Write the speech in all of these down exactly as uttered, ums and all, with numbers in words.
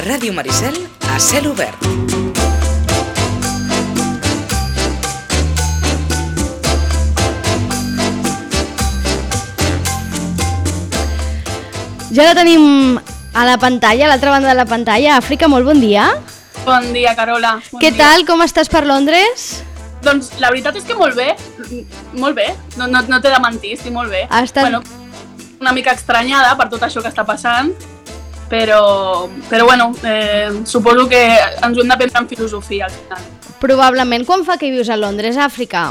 Ràdio Maricel a cel obert. Ja la tenim a la pantalla, a l'altra banda de la pantalla. Àfrica, molt bon dia. Bon dia, Carola. Bon Què dia. tal? Com estàs per Londres? Doncs la veritat és que molt bé, molt bé, no, no, no t'he de mentir, estic molt bé. Ha estat... Bueno, una mica estranyada per tot això que està passant, però, però bueno, eh, suposo que ens ho hem d'aprendre en filosofia al final. Probablement. Quan fa que hi vius a Londres, Àfrica?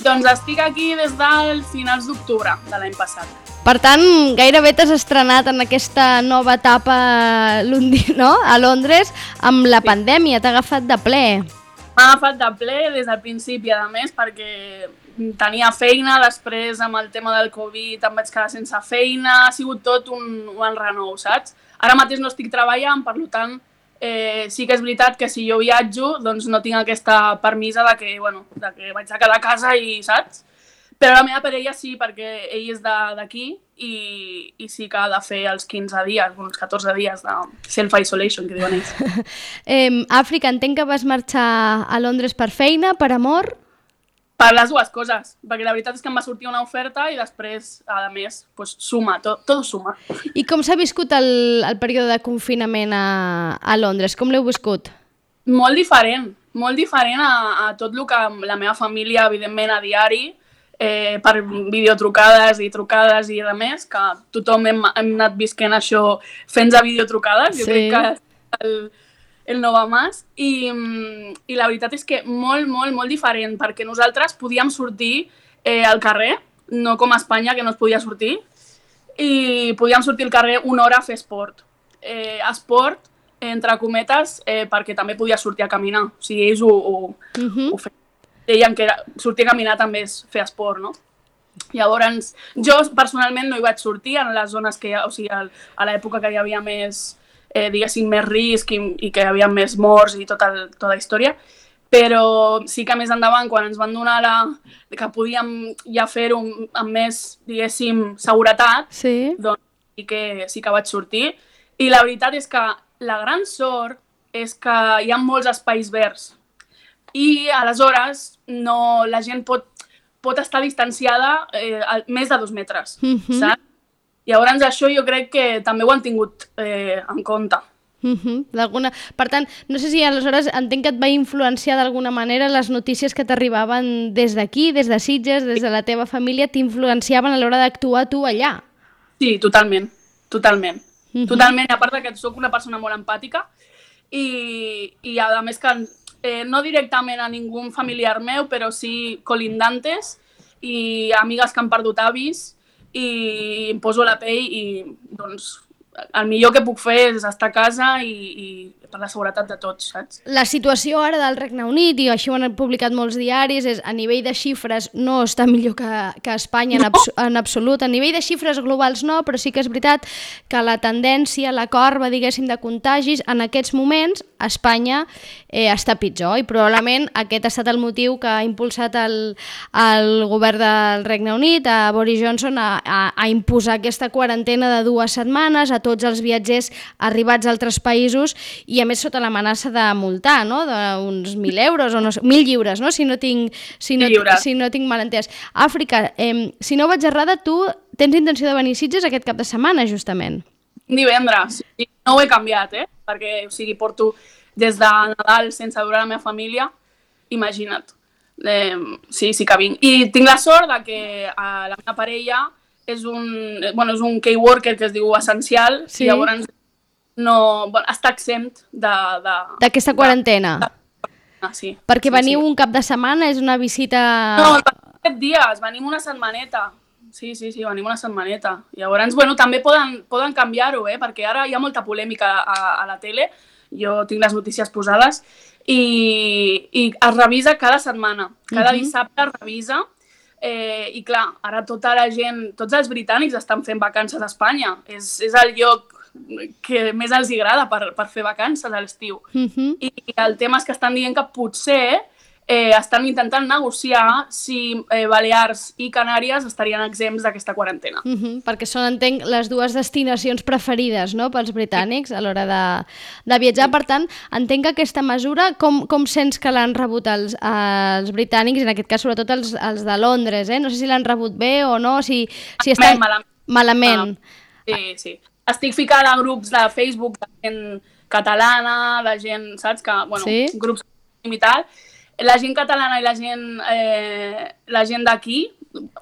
Doncs estic aquí des del finals d'octubre de l'any passat. Per tant, gairebé t'has estrenat en aquesta nova etapa no? a Londres amb la Sí. pandèmia, t'ha agafat de ple. M'ha agafat de ple des del principi, a més, perquè tenia feina, després amb el tema del Covid em vaig quedar sense feina, ha sigut tot un, un enrenou, saps? Ara mateix no estic treballant, per tant, eh, sí que és veritat que si jo viatjo, doncs no tinc aquesta permisa de que, bueno, de que vaig a quedar a casa i, saps? Però la meva parella sí, perquè ell és d'aquí i, i sí que ha de fer els quinze dies, uns catorze dies de self-isolation, que diuen ells. Eh, Àfrica, entenc que vas marxar a Londres per feina, per amor? Per les dues coses, perquè la veritat és que em va sortir una oferta i després, a més, pues, suma, tot, tot suma. I com s'ha viscut el, el període de confinament a, a Londres? Com l'heu viscut? Molt diferent, molt diferent a, a tot el que la meva família, evidentment, a diari, eh, per videotrucades i trucades i de més, que tothom hem, hem anat visquent això fent a videotrucades, jo Sí. crec que és el, el no va més, I, i la veritat és que molt, molt, molt diferent, perquè nosaltres podíem sortir eh, al carrer, no com a Espanya, que no es podia sortir, i podíem sortir al carrer una hora a fer esport. Eh, esport, entre cometes, eh, perquè també podia sortir a caminar, o sigui, ells ho, ho, Uh-huh. ho feien. Deien que era, sortir a caminar també és fer esport, no? Llavors, jo personalment no hi vaig sortir en les zones que hi ha, o sigui, a l'època que hi havia més, eh, diguéssim, més risc i, i que hi havia més morts i tota, el, tota la història, però sí que més endavant, quan ens van donar la, que podíem ja fer-ho amb més, diguéssim, seguretat, Sí. doncs sí que, sí que vaig sortir. I la veritat és que la gran sort és que hi ha molts espais verds i aleshores no, la gent pot, pot estar distanciada eh, a més de dos metres, Mhm. saps? Llavors això jo crec que també ho han tingut eh, en compte. Uh-huh. D'alguna... Per tant, no sé si aleshores entenc que et va influenciar d'alguna manera les notícies que t'arribaven des d'aquí, des de Sitges, des de la teva família, t'influenciaven a l'hora d'actuar tu allà. Sí, totalment, totalment. Mhm. Totalment, a part de que soc una persona molt empàtica i, i a més que eh, no directament a ningú familiar meu, però sí colindantes i amigues que han perdut avis i em poso a la pell i doncs el millor que puc fer és estar a casa i, i per la seguretat de tots, saps? La situació ara del Regne Unit, i això ho han publicat molts diaris, és a nivell de xifres no està millor que, que Espanya en, abs en absolut. A nivell de xifres globals no, però sí que és veritat que la tendència, la corba, diguéssim, de contagis, en aquests moments a Espanya eh, està pitjor i probablement aquest ha estat el motiu que ha impulsat el, el govern del Regne Unit, a Boris Johnson, a, a, a imposar aquesta quarantena de dues setmanes a tots els viatgers arribats a altres països i a més sota l'amenaça de multar, no? D'uns mil euros o no sé, mil lliures, no? Si no tinc, si no, si no tinc mal entès. Àfrica, eh, si no vaig errada, tu tens intenció de venir a Sitges aquest cap de setmana, justament. Divendres. No ho he canviat, eh? Perquè, o sigui, porto des de Nadal sense veure la meva família, imagina't. Eh, sí, sí que vinc. I tinc la sort de que a la meva parella és un, bueno, és un key worker que es diu essencial, Sí. i llavors no, bueno, està exempt de... D'aquesta quarantena. De, de, ah, sí. Perquè sí, veniu sí. un cap de setmana, és una visita... No, set dies, venim una setmaneta. Sí, sí, sí, venim una setmaneta. Llavors, bueno, també poden, poden canviar-ho, eh? Perquè ara hi ha molta polèmica a, a la tele, jo tinc les notícies posades, i, i es revisa cada setmana. Cada Mhm. dissabte es revisa, eh, i clar, ara tota la gent, tots els britànics estan fent vacances a Espanya. És, és el lloc que més els agrada per, per fer vacances a l'estiu. Uh-huh. I el tema és que estan dient que potser eh, estan intentant negociar si eh, Balears i Canàries estarien exempts d'aquesta quarantena. Uh -huh, perquè són, entenc, les dues destinacions preferides, no?, pels britànics a l'hora de, de viatjar. Per tant, entenc que aquesta mesura, com, com sents que l'han rebut els, els britànics, en aquest cas sobretot els, els de Londres, eh? No sé si l'han rebut bé o no, si, si estan... Malament. Malament. Sí, sí. Estic ficada a grups de Facebook de gent catalana, de gent, saps? Que, bueno, sí? Grups i tal. La gent catalana i la gent, eh, la gent d'aquí,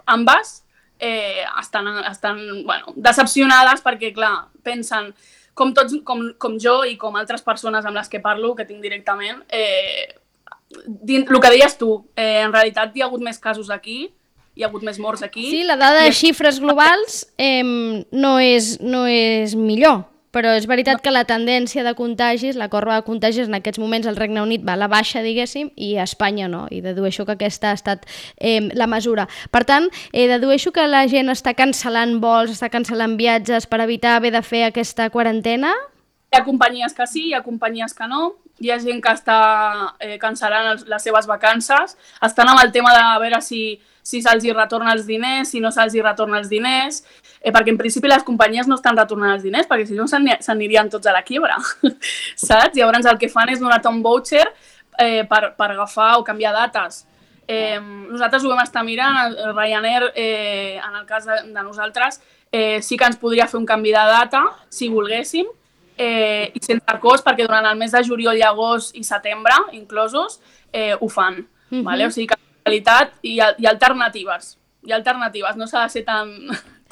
ambes, eh, estan, estan bueno, decepcionades perquè, clar, pensen, com, tots, com, com jo i com altres persones amb les que parlo, que tinc directament, eh, dins, el que deies tu, eh, en realitat hi ha hagut més casos aquí, hi ha hagut més morts aquí. Sí, la dada de xifres globals eh, no, és, no és millor, però és veritat que la tendència de contagis, la corba de contagis en aquests moments al Regne Unit va a la baixa, diguéssim, i a Espanya no, i dedueixo que aquesta ha estat eh, la mesura. Per tant, eh, dedueixo que la gent està cancel·lant vols, està cancel·lant viatges per evitar haver de fer aquesta quarantena? Hi ha companyies que sí, hi ha companyies que no, hi ha gent que està eh, cancel·lant els, les seves vacances, estan amb el tema de veure si si se'ls hi retorna els diners, si no se'ls hi retorna els diners, eh, perquè en principi les companyies no estan retornant els diners, perquè si no s'anirien tots a la quiebra, saps? Llavors el que fan és donar-te un voucher eh, per, per agafar o canviar dates. Eh, nosaltres ho vam estar mirant, el Ryanair, eh, en el cas de, de nosaltres, eh, sí que ens podria fer un canvi de data, si volguéssim, eh, i sense cost, perquè durant el mes de juliol i agost i setembre, inclosos, eh, ho fan. Mm-hmm. Vale? O sigui que realitat hi ha, hi ha alternatives, hi ha alternatives, no s'ha de ser tan,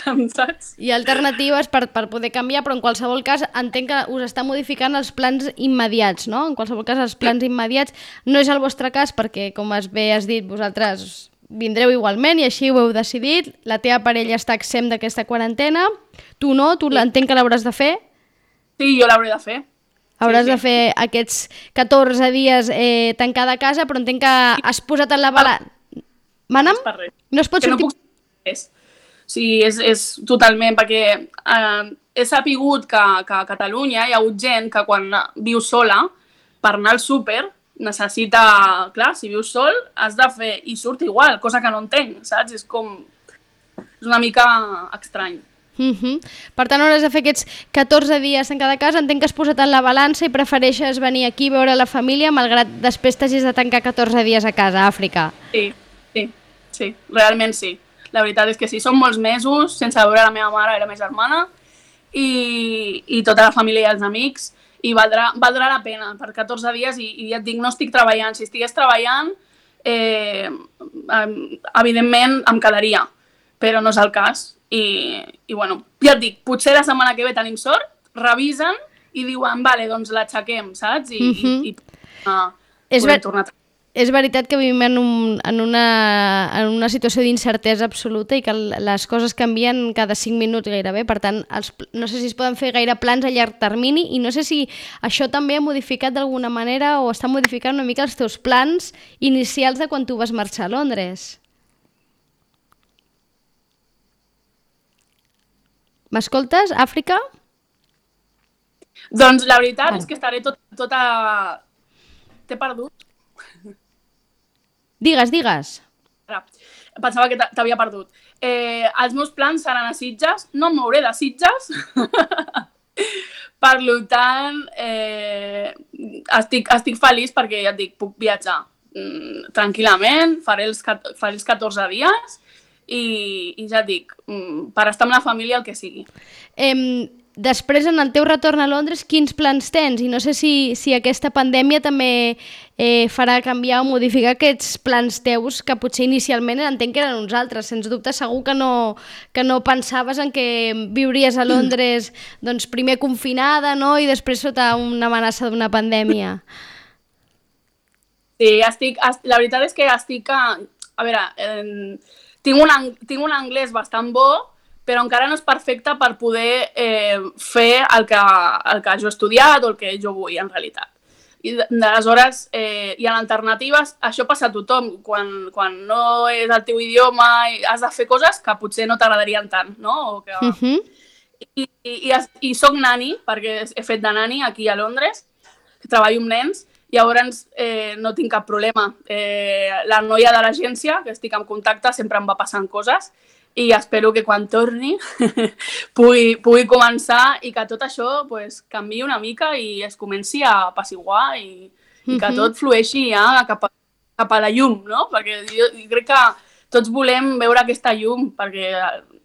tan saps? Hi ha alternatives per, per poder canviar, però en qualsevol cas entenc que us està modificant els plans immediats, no? En qualsevol cas els plans immediats no és el vostre cas perquè, com has bé has dit, vosaltres vindreu igualment i així ho heu decidit, la teva parella està exempt d'aquesta quarantena, tu no, tu sí. Entenc que l'hauràs de fer? Sí, jo l'hauré de fer. Hauràs sí, sí. de fer aquests catorze dies eh, tancada a casa, però entenc que has posat en la balança... Mana'm? No es pot que sortir... No puc... és. Sí, és, és totalment, perquè eh, he sapigut que, que a Catalunya hi ha hagut gent que quan viu sola, per anar al súper, necessita... Clar, si vius sol, has de fer... I surt igual, cosa que no entenc, saps? És com... És una mica estrany. Uh-huh. Per tant, hauràs de fer aquests catorze dies en cada casa. Entenc que has posat en la balança i prefereixes venir aquí a veure la família malgrat després t'hagis de tancar catorze dies a casa, a Àfrica. Sí, sí, sí, realment sí. La veritat és que sí, són molts mesos sense veure la meva mare i la meva germana i, i tota la família i els amics i valdrà, valdrà la pena per catorze dies i, i ja et dic, no estic treballant. Si estigués treballant, eh, evidentment em quedaria, però no és el cas. I, i bueno, ja et dic, potser la setmana que ve tenim sort, revisen i diuen, vale, doncs l'aixequem, saps? I, uh-huh. i, i uh, és podem ver tornar a... És veritat que vivim en, un, en, una, en una situació d'incertesa absoluta i que les coses canvien cada cinc minuts gairebé, per tant, els, no sé si es poden fer gaire plans a llarg termini i no sé si això també ha modificat d'alguna manera o està modificant una mica els teus plans inicials de quan tu vas marxar a Londres. M'escoltes, Àfrica? Doncs la veritat ah. és que estaré tot, tota... T'he perdut? Digues, digues. Pensava que t'havia perdut. Eh, els meus plans seran a Sitges. No em mouré de Sitges. Per tant, eh, estic, estic feliç perquè, ja et dic, puc viatjar mm, tranquil·lament, faré els, faré els catorze dies i, i ja et dic, per estar amb la família el que sigui. Eh, després, en el teu retorn a Londres, quins plans tens? I no sé si, si aquesta pandèmia també eh, farà canviar o modificar aquests plans teus que potser inicialment entenc que eren uns altres. Sens dubte, segur que no, que no pensaves en que viuries a Londres doncs, primer confinada, no? I després sota una amenaça d'una pandèmia. Sí, estic, la veritat és que estic... A, a veure... Eh, Tinc un, tinc un anglès bastant bo, però encara no és perfecte per poder eh, fer el que, el que jo he estudiat o el que jo vull, en realitat. I aleshores eh, hi ha alternatives. Això passa a tothom. Quan, quan no és el teu idioma has de fer coses que potser no t'agradarien tant, no? O que... uh-huh. I, i, i, I soc nani, perquè he fet de nani aquí a Londres, que treballo amb nens, Llavors eh, no tinc cap problema. Eh, la noia de l'agència, que estic en contacte, sempre em va passant coses i espero que quan torni pugui, pugui començar i que tot això pues, canviï una mica i es comenci a apaciguar i, i que tot flueixi ja cap a, cap a la llum, no? Perquè jo, jo crec que tots volem veure aquesta llum, perquè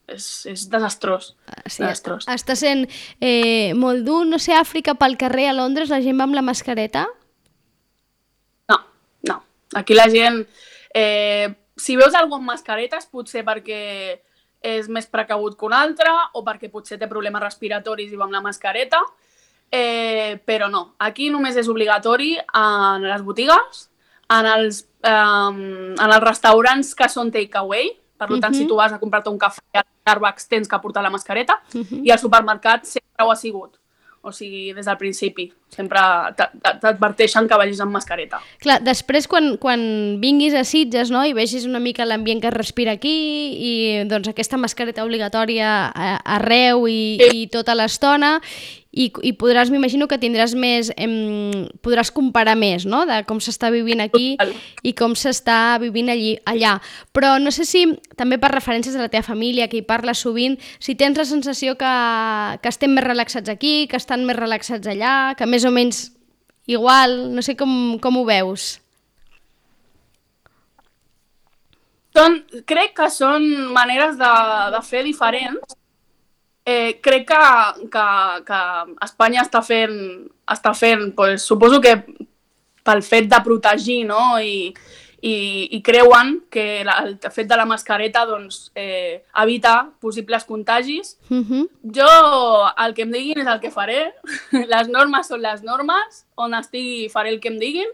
és, és desastrós. Sí, desastrós. Està sent eh, molt dur. No sé, Àfrica, pel carrer a Londres, la gent va amb la mascareta? No, no. Aquí la gent... Eh, si veus algú amb mascaretes, potser perquè és més precabut que un altre o perquè potser té problemes respiratoris i va amb la mascareta, eh, però no. Aquí només és obligatori en les botigues, en els, eh, en els restaurants que són takeaway, per tant, uh -huh. si tu vas a comprar-te un cafè a Starbucks tens que portar la mascareta, uh -huh. i al supermercat sempre ho ha sigut. O sigui, des del principi. Sempre t'adverteixen que vagis amb mascareta. Clar, després quan, quan vinguis a Sitges, no?, i vegis una mica l'ambient que es respira aquí i doncs aquesta mascareta obligatòria arreu i, sí. i tota l'estona, i, i podràs, m'imagino que tindràs més, em, podràs comparar més, no?, de com s'està vivint aquí i com s'està vivint allí, allà. Però no sé si, també per referències de la teva família, que hi parles sovint, si tens la sensació que, que estem més relaxats aquí, que estan més relaxats allà, que més o menys igual, no sé com, com ho veus. Són, crec que són maneres de, de fer diferents. Eh, crec que, que, que Espanya està fent, està fent pues, suposo que pel fet de protegir, no? I, i, i creuen que la, el fet de la mascareta doncs, eh, evita possibles contagis. Uh-huh. Jo, el que em diguin és el que faré. Les normes són les normes, on estigui faré el que em diguin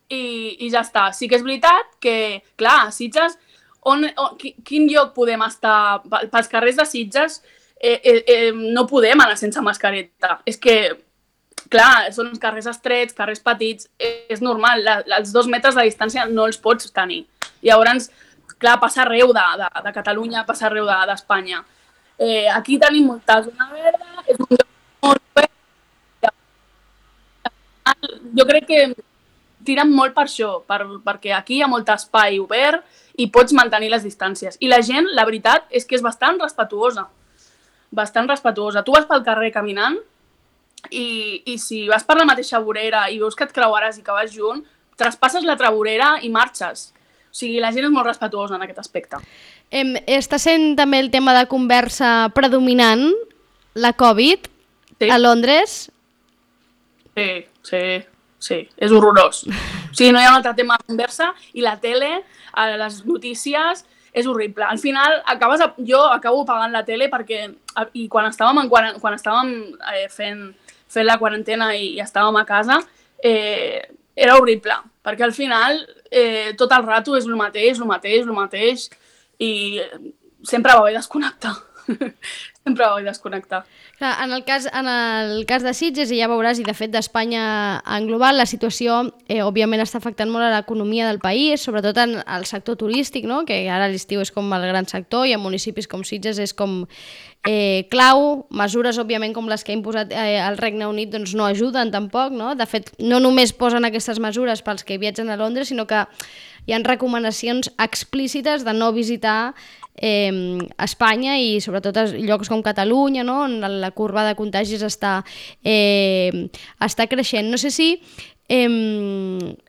i, i ja està. Sí que és veritat que, clar, a Sitges, on, on, quin lloc podem estar? Pels carrers de Sitges eh, eh, eh, no podem anar sense mascareta. És que, clar, són uns carrers estrets, carrers petits, és normal, la, els dos metres de distància no els pots tenir. Llavors, clar, passa arreu de, de, de Catalunya, passa arreu d'Espanya. De, eh, aquí tenim molta zona verda, és un lloc molt verd. Jo crec que tiren molt per això, per, perquè aquí hi ha molt espai obert i pots mantenir les distàncies. I la gent, la veritat, és que és bastant respetuosa. Bastant respetuosa. Tu vas pel carrer caminant I, i si vas per la mateixa vorera i veus que et creuaràs i que vas junt, traspasses l'altra vorera i marxes. O sigui, la gent és molt respetuosa en aquest aspecte. Em, està sent també el tema de conversa predominant, la Covid, sí. a Londres? Sí, sí, sí, és horrorós. O sigui, no hi ha un altre tema de conversa i la tele, les notícies, és horrible. Al final, acabes, jo acabo pagant la tele perquè, i quan estàvem, en, quan, quan estàvem eh, fent... fent la quarantena i, i estàvem a casa, eh, era horrible, perquè al final eh, tot el rato és el mateix, el mateix, el mateix, i sempre va bé desconnectar. Sempre va bé desconnectar. Clar, en el cas, en el cas de Sitges, i ja veuràs, i de fet d'Espanya en global, la situació eh, òbviament està afectant molt a l'economia del país, sobretot en el sector turístic, no? Que ara l'estiu és com el gran sector i en municipis com Sitges és com eh, clau. Mesures, òbviament, com les que ha imposat eh, el Regne Unit doncs no ajuden tampoc, no? De fet, no només posen aquestes mesures pels que viatgen a Londres, sinó que hi ha recomanacions explícites de no visitar eh, Espanya i sobretot a llocs com Catalunya, no? On la curva de contagis està, eh, està creixent. No sé si, eh,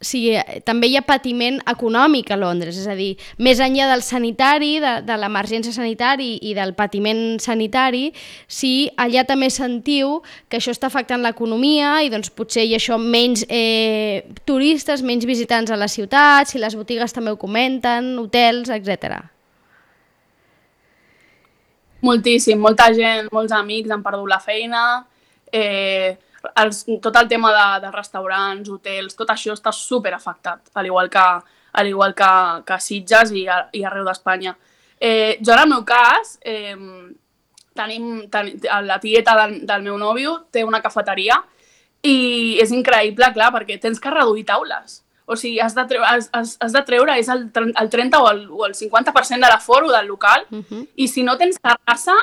si també hi ha patiment econòmic a Londres, és a dir, més enllà del sanitari, de, de l'emergència sanitària i del patiment sanitari, si allà també sentiu que això està afectant l'economia i doncs potser hi ha això menys eh, turistes, menys visitants a la ciutat, si les botigues també ho comenten, hotels, etcètera. Moltíssim, molta gent, molts amics han perdut la feina, eh, els, tot el tema de, de restaurants, hotels, tot això està super afectat, al igual que, al igual que, que Sitges i, a, i arreu d'Espanya. Eh, jo en el meu cas, eh, tenim, ten, la tieta del, del meu nòvio té una cafeteria i és increïble, clar, perquè tens que reduir taules. O sigui, has de treure, has, has, has de treure és el, el trenta o el, o el cinquanta per cent de l'aforo del local, uh-huh. i si no tens terrassa,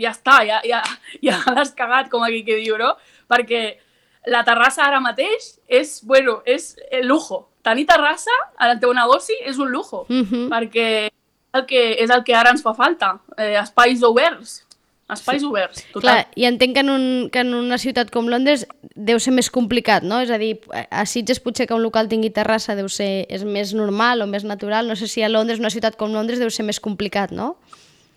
ja està, ja, ja, ja l'has cagat, com aquí que diu, no? Perquè la terrassa ara mateix és, bueno, és el lujo. Tenir terrassa al teu negoci és un lujo, Mhm. perquè el que, és el que ara ens fa falta, eh, espais oberts, espais oberts, total. Clar, i entenc que en, un, que en una ciutat com Londres deu ser més complicat, no? És a dir, a Sitges potser que un local tingui terrassa deu ser, és més normal o més natural. No sé si a Londres, una ciutat com Londres, deu ser més complicat, no?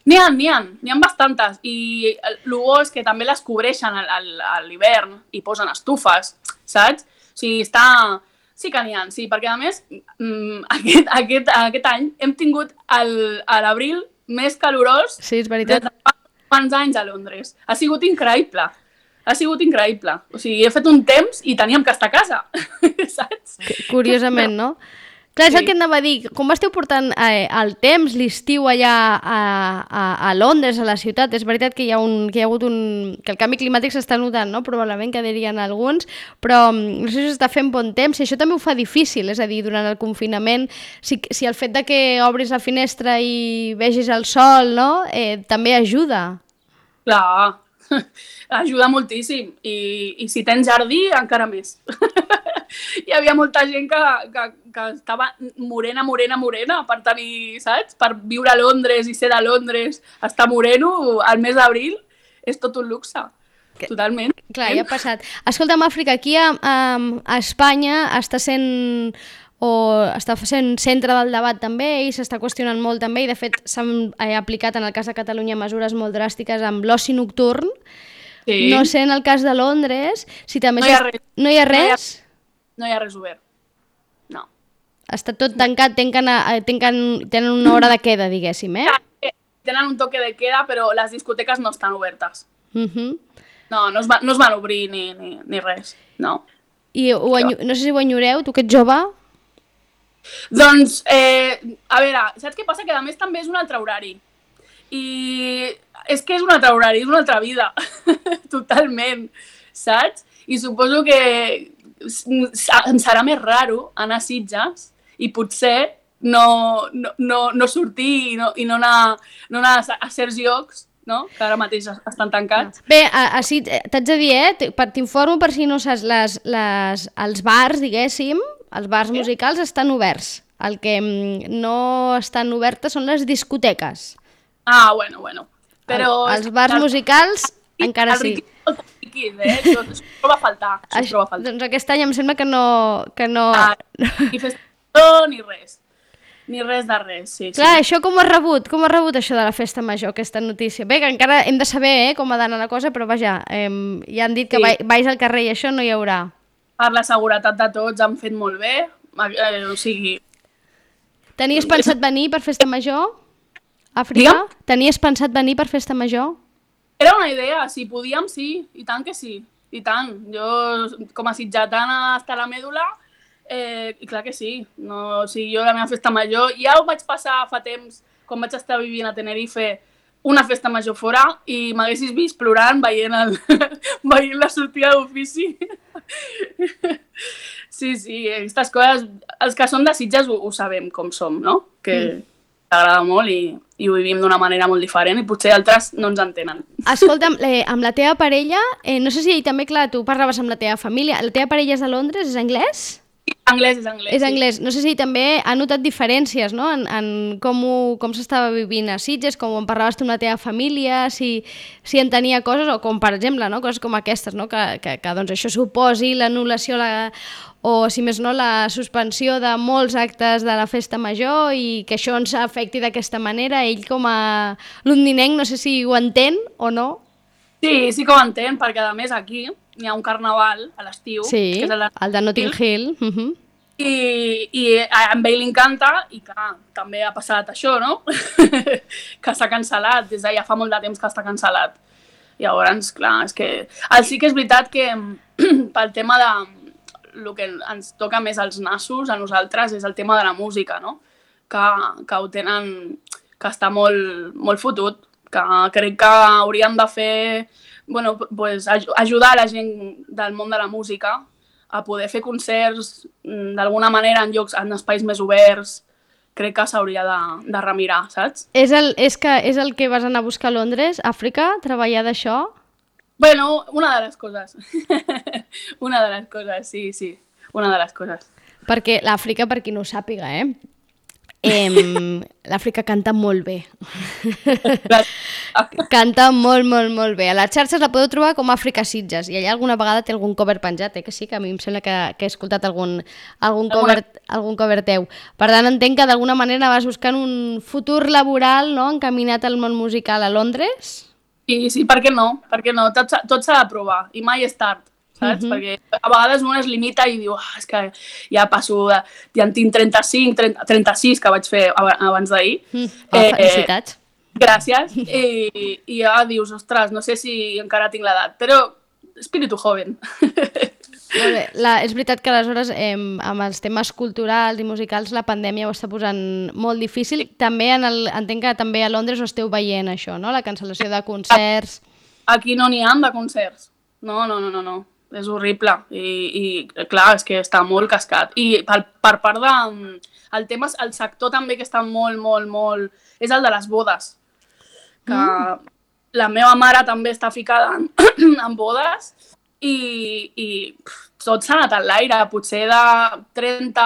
N'hi ha, n'hi ha, n'hi ha bastantes, i el bo és que també les cobreixen a, a, a l'hivern i posen estufes, saps? O sigui, està... Sí que n'hi ha, sí, perquè a més mm, aquest, aquest, aquest any hem tingut el- a l'abril més calorós Sí, és des veritat. de fa quants anys a Londres. Ha sigut increïble, ha sigut increïble. O sigui, he fet un temps i teníem que estar a casa, saps? Curiosament, no? Clar, és Sí. el que anava a dir. Com esteu portant eh, el temps, l'estiu allà a, a, a Londres, a la ciutat? És veritat que hi ha, un, que hi ha hagut un... que el canvi climàtic s'està notant, no? Probablement que dirien alguns, però mm, no sé si s'està fent bon temps, i això també ho fa difícil, és a dir, durant el confinament, si, si el fet de que obris la finestra i vegis el sol, no? Eh, també ajuda. Clar, ajuda moltíssim. I, i si tens jardí, encara més. Hi havia molta gent que, que, que estava morena, morena, morena per tenir, saps? Per viure a Londres i ser de Londres, estar moreno al mes d'abril és tot un luxe. Totalment. Clar, ja ha passat. Escolta'm, Àfrica, aquí a, a, a Espanya està sent o està sent centre del debat també i s'està qüestionant molt també, i de fet s'han eh, aplicat en el cas de Catalunya mesures molt dràstiques amb l'oci nocturn. Sí. No sé en el cas de Londres si també No hi ha s'est- res. no hi ha No hi ha- res? No hi ha res obert. No. Està tot tancat, tanquen, a- tanquen, tenen una hora de queda, diguéssim, eh? Tenen un toque de queda, però les discoteques no estan obertes. Uh-huh. No, no es, va, no es van obrir ni, ni, ni res. No. I ho enyo... no sé si ho enyoreu, tu que ets jove? Doncs, eh, a veure, saps què passa? Que a més també és un altre horari. I és que és un altre horari, és una altra vida. Totalment, saps? I suposo que s- em serà més raro anar a Sitges i potser no, no, no, no sortir i no, i no anar, no anar a, a certs llocs, no? Que ara mateix estan tancats. Bé, a, a, si, t'haig de dir, eh? t- per- T'informo per si no saps, les, les, els bars, diguéssim, els bars musicals estan oberts. El que mm, no estan obertes són les discoteques. Ah, bueno, bueno. Però... El, els bars musicals encara el sí. riquit, el riquit, eh? Això, això es troba a faltar. Això es Això, troba a faltar. doncs aquest any em sembla que no... Que no... Ah, ni festa ni res. Ni res de res, sí. Clar, sí. això com ho has rebut? Com ho has rebut això de la festa major, aquesta notícia? Bé, que encara hem de saber eh, com ha d'anar la cosa, però vaja, eh, ja han dit que Sí. vai, vais al carrer i això no hi haurà. Per la seguretat de tots han fet molt bé. Eh, o sigui, Tenies pensat venir per festa major? Àfrica? Digue'm? Tenies pensat venir per festa major? era una idea, si podíem, sí, i tant que sí, i tant. Jo, com a sitgetana hasta la mèdula, eh, i clar que sí. No, o sigui, jo la meva festa major, ja ho vaig passar fa temps, quan vaig estar vivint a Tenerife, una festa major fora, i m'haguessis vist plorant veient, el, veient la sortida d'ofici. Sí, sí, aquestes coses, els que som de Sitges ho, ho sabem com som, no? Que mm. t'agrada molt i, i ho vivim d'una manera molt diferent i potser altres no ens entenen. Escolta'm, eh, amb la teva parella, eh, no sé si també, clar, tu parlaves amb la teva família, la teva parella és de Londres, és anglès? Sí, anglès és anglès. És anglès. No sé si també ha notat diferències, no?, en, en com, ho- com s'estava vivint a Sitges, com en parlaves tu amb la teva família, si, si entenia coses, o com, per exemple, no?, coses com aquestes, no?, que, que, que doncs, això suposi l'anul·lació la, o, si més no, la suspensió de molts actes de la festa major i que això ens afecti d'aquesta manera. Ell, com a londinenc, no sé si ho entén o no. Sí, sí que ho entenc, perquè a més aquí hi ha un carnaval a l'estiu, Sí, que és el de... el de Notting Hill. Uh -huh. I, i a ell li encanta, i clar, també ha passat això, no? Que s'ha cancel·lat, des de ja fa molt de temps que està cancel·lat. Llavors, clar, és que... El sí que és veritat que pel tema de... El que ens toca més als nassos, a nosaltres, és el tema de la música, no? Que, que ho tenen... que està molt, molt fotut, que crec que hauríem de fer... Bueno, pues, aj ajudar la gent del món de la música a poder fer concerts d'alguna manera en llocs, en espais més oberts. Crec que s'hauria de, de remirar, saps? És el, és, que, és el que vas anar a buscar a Londres, Àfrica, treballar d'això? Bueno, una de les coses. Una de les coses, sí, sí. Una de les coses. Perquè l'Àfrica, per qui no ho sàpiga, eh? eh L'Àfrica canta molt bé. Canta molt, molt, molt bé. A les xarxes la podeu trobar com Àfrica Sitges i allà alguna vegada té algun cover penjat, eh? Que sí, que a mi em sembla que, que he escoltat algun, algun, cover, algun cover teu. Per tant, entenc que d'alguna manera vas buscant un futur laboral, no?, encaminat al món musical a Londres. Sí, sí, per què no? Per què no? Tot, tot s'ha de provar i mai és tard, saps? Uh-huh. Perquè a vegades un es limita i diu, ah, és que ja passo, de, ja en tinc trenta-cinc, trenta, trenta-sis que vaig fer abans d'ahir. Mm. Oh, eh, felicitats. Gràcies. I, I ja dius, ostres, no sé si encara tinc l'edat, però espíritu joven. Molt bé. La, és veritat que aleshores eh, amb els temes culturals i musicals la pandèmia ho està posant molt difícil. També en el, entenc que també a Londres ho esteu veient això, no? La cancel·lació de concerts. Aquí no n'hi ha de concerts. No, no, no, no, no. És horrible. I, i clar, és que està molt cascat. I per, per part de... El tema, el sector també que està molt, molt, molt... És el de les bodes. Que mm. la meva mare també està ficada en, en bodes. I, i tot s'ha anat a l'aire, potser de trenta,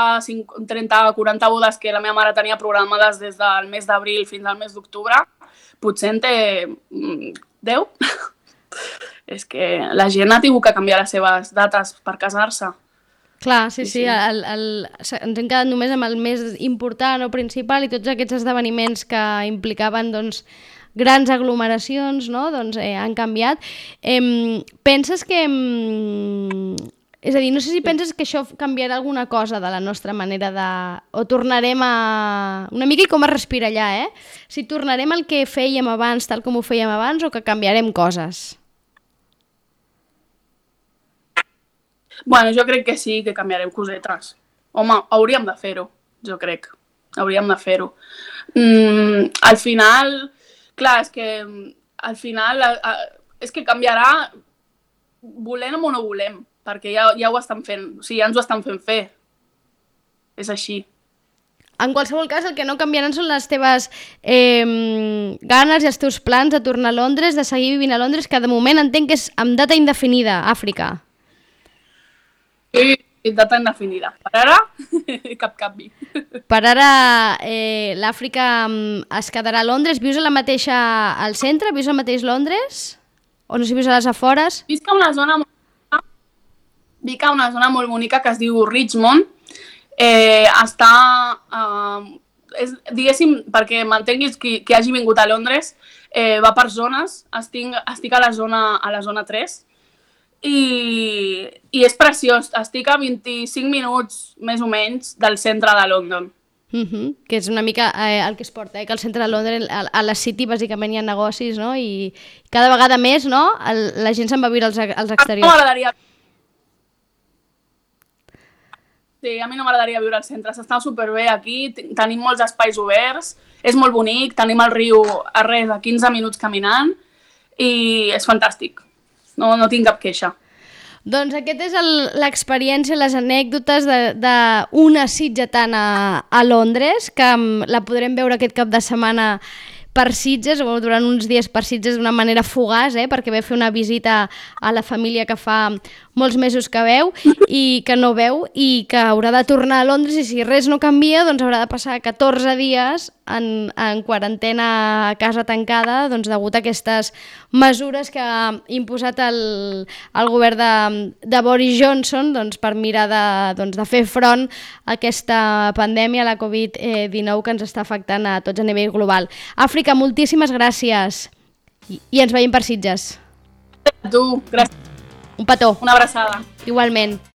trenta, quaranta bodes que la meva mare tenia programades des del mes d'abril fins al mes d'octubre, potser en té deu. És que la gent ha tingut que canviar les seves dates per casar-se. Clar, sí, sí, sí. El, el, ens hem quedat només amb el més important o principal i tots aquests esdeveniments que implicaven, doncs, grans aglomeracions, no?, doncs eh, han canviat. Eh, penses que... Eh, és a dir, no sé si penses que això canviarà alguna cosa de la nostra manera de... O tornarem a... Una mica com a respirar allà, eh? Si tornarem al que fèiem abans, tal com ho fèiem abans, o que canviarem coses? Bueno, jo crec que sí, que canviarem cosetes. Home, hauríem de fer-ho, jo crec. Hauríem de fer-ho. Mm, al final... Clar, és que al final és que canviarà volem o no volem, perquè ja, ja ho estan fent, o sigui, ja ens ho estan fent fer. És així. En qualsevol cas, el que no canviaran són les teves eh, ganes i els teus plans de tornar a Londres, de seguir vivint a Londres, que de moment entenc que és amb data indefinida, Àfrica. Sí. Data indefinida. Per ara, cap canvi. Per ara, eh, l'Àfrica es quedarà a Londres. Vius a la mateixa, al centre? Vius al mateix Londres? O no sé si vius a les afores? Visc a una zona molt, Visc a una zona molt bonica que es diu Richmond. Eh, està, eh, és, diguéssim, perquè m'entenguis qui, qui hagi vingut a Londres, eh, va per zones. Estic, estic a la zona, a la zona tres. I, i és preciós. Estic a vint-i-cinc minuts, més o menys, del centre de London. Uh-huh. Que és una mica eh, el que es porta, eh? Que al centre de Londres, a, a la City, bàsicament hi ha negocis, no? I cada vegada més, no?, el, la gent se'n va viure als, als exteriors. A mi no m'agradaria... Sí, a mi no m'agradaria viure al centre. S'està superbé aquí, tenim molts espais oberts, és molt bonic, tenim el riu a res, a quinze minuts caminant, i és fantàstic. No, no tinc cap queixa. Doncs aquest és l'experiència, les anècdotes d'una sitgetana a Londres, que la podrem veure aquest cap de setmana per Sitges, o durant uns dies per Sitges d'una manera fugaç, eh, perquè ve a fer una visita a la família que fa molts mesos que veu i que no veu i que haurà de tornar a Londres, i si res no canvia, doncs haurà de passar catorze dies en, en quarantena a casa tancada, doncs degut a aquestes mesures que ha imposat el, el govern de, de Boris Johnson, doncs, per mirar de, doncs, de fer front a aquesta pandèmia, la covid dinou, que ens està afectant a tots a nivell global. Àfrica, moltíssimes gràcies i, i ens veiem per Sitges. A tu, gràcies. Un petó. Una abraçada. Igualment.